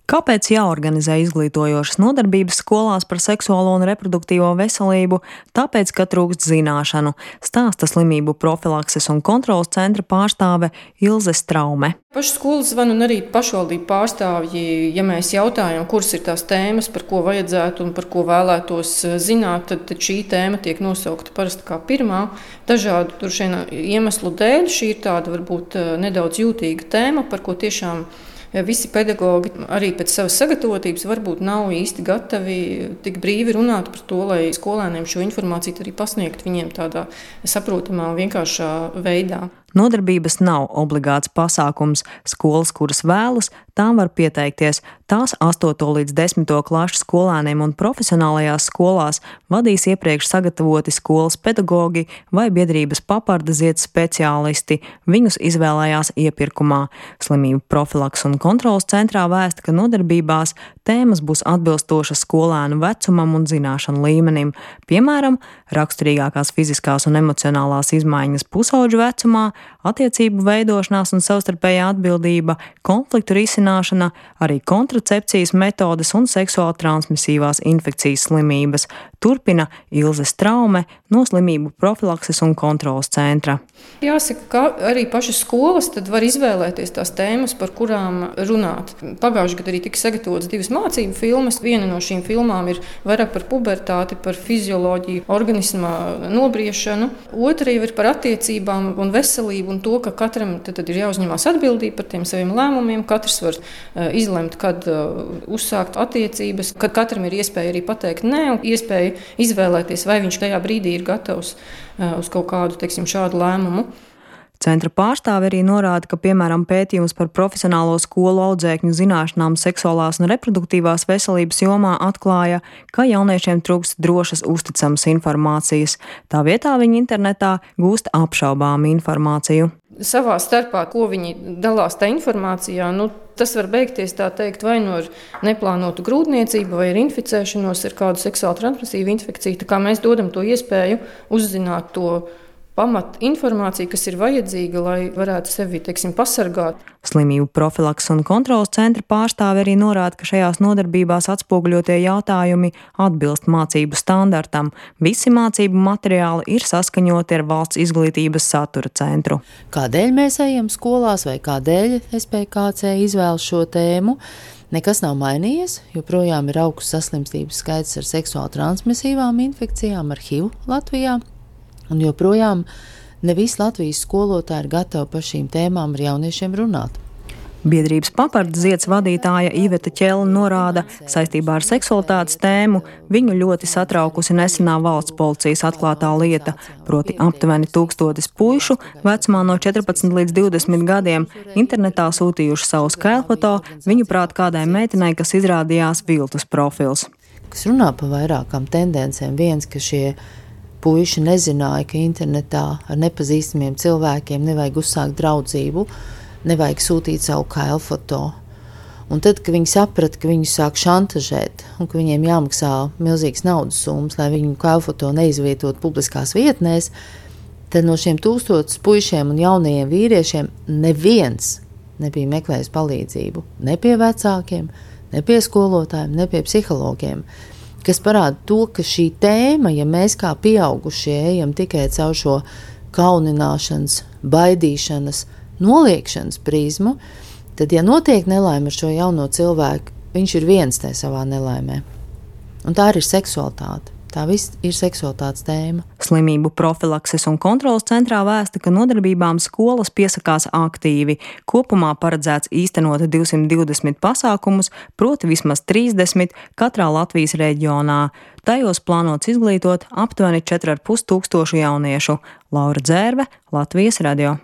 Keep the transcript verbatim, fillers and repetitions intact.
Kāpēc jāorganizē izglītojošas nodarbības skolās par seksuālo un reproduktīvo veselību? Tāpēc, ka trūkst zināšanu, stāsta slimību profilakses un kontrolas centra pārstāve Ilze Straume. Pašu skolas zvanu un arī pašvaldību pārstāvji, ja mēs jautājam, kuras ir tās tēmas, par ko vajadzētu un par ko vēlētos zināt, tad, tad šī tēma tiek nosaukta parasti kā pirmā. Dažādu tur šiem iemeslu dēļ šī ir tāda varbūt nedaudz jūtīga tēma, par ko tiešām visi pedagogi arī pēc savas sagatavotības varbūt nav īsti gatavi tik brīvi runāt par to, lai skolēniem šo informāciju arī pasniegt viņiem tādā saprotamā un vienkāršā veidā. Nodarbības nav obligāts pasākums. Skolas, kuras vēlas, tām var pieteikties. Tās astoto līdz desmito klašu skolēniem un profesionālajās skolās vadīs iepriekš sagatavoti skolas pedagogi vai biedrības papardaziet speciālisti. Viņus izvēlējās iepirkumā. Slimību profilaks un kontrolas centrā vēsta, ka nodarbībās tēmas būs atbilstošas skolēnu vecumam un zināšanu līmenim. Piemēram, raksturīgākās fiziskās un emocionālās izmaiņas pusauģu vecumā, attiecību veidošanās un savstarpējā atbildība, konfliktu risināšana, arī kontracepcijas metodes un seksuāli transmisīvās infekcijas slimības. Turpina Ilze Straume no Slimību profilakses un kontrolas centra. Jāsaka, ka arī pašas skolas tad var izvēlēties tās tēmas, par kurām runāt. Pagājušajā gadā arī tika sagatavotas divas mācību filmas. Viena no šīm filmām ir vairāk par pubertāti, par fizioloģiju, organismā nobriešanu. Otra jau ir par attiecībām un veselību un to, ka katram tad, tad ir jāuzņemās atbildība par tiem saviem lēmumiem. Katrs var uh, izlemt, kad uh, uzsākt attiecības, kad katram ir iespēja arī pateikt nē, un iespēja izvēlēties, vai viņš tajā brīdī ir gatavs uh, uz kaut kādu, teiksim, šādu lēmumu. Centra pārstāve arī norāda, ka, piemēram, pētījums par profesionālo skolu audzēkņu zināšanām seksuālās un reproduktīvās veselības jomā atklāja, ka jauniešiem trūkst drošas, uzticamas informācijas. Tā vietā viņi internetā gūst apšaubāmu informāciju. Savā starpā, ko viņi dalās tā informācijā, nu, tas var beigties tā teikt vai no neplānotu grūtniecību, vai ar inficēšanos ar kādu seksuāli transmisīvu infekciju. Tā kā mēs dodam to iespēju uzzināt to pamat informāciju, kas ir vajadzīga, lai varētu sevi, teiksim, pasargāt. Slimību profilakses un kontrolas centra pārstāve arī norāda, ka šajās nodarbībās atspoguļotie jautājumi atbilst mācību standartam. Visi mācību materiāli ir saskaņoti ar valsts izglītības satura centru. Kādēļ mēs ejam skolās vai kādēļ S P K C izvēl šo tēmu? Nekas nav mainījies, joprojām ir augsts saslimstības skaits ar seksuāli transmisīvām infekcijām, ar H I V Latvijā. Un joprojām ne visi Latvijas skolotāji ir gatavi par šīm tēmām ar jauniešiem runāt. Biedrības papardaziets vadītāja Iveta Ķele norāda, saistībā ar seksualitātes tēmu viņu ļoti satraukusi nesenā valsts policijas atklātā lieta, proti aptuveni tūkstotis puišu vecumā no četrpadsmit līdz divdesmit gadiem internetā sūtījuši savus kailfoto, viņuprāt kādai meitenei, kas izrādījās viltus profils. Kas runā par vairākām tendencēm, viens, ka šie puiši nezināja, ka internetā ar nepazīstamiem cilvēkiem nevajag uzsākt draudzību, nevajag sūtīt savu kailfoto. Un tad, kad viņi saprata, ka viņu sāk šantažēt un ka viņiem jāmaksā milzīgas naudas summas, lai viņu kailfoto neizvietot publiskās vietnēs, tad no šiem tūkstotis puišiem un jaunajiem vīriešiem neviens nebija meklējis palīdzību. Ne pie vecākiem, ne pie skolotājiem, ne pie psihologiem. Kas parāda to, ka šī tēma, ja mēs kā pieaugušie ejam tikai caur šo kaunināšanas, baidīšanas, noliekšanas prizmu, tad, ja notiek nelaime ar šo jauno cilvēku, viņš ir viens tajā savā nelaimē. Un tā arī ir seksualitāte. Tā viss ir seksualitātes tēma. Slimību profilakses un kontrolas centrā vēsta, ka nodarbībām skolas piesakās aktīvi. Kopumā paredzēts īstenot divsimt divdesmit pasākumus, proti vismaz trīsdesmit katrā Latvijas reģionā. Tajos plānots izglītot aptuveni četri ar pus tūkstošu jauniešu. Laura Dzērve, Latvijas radio.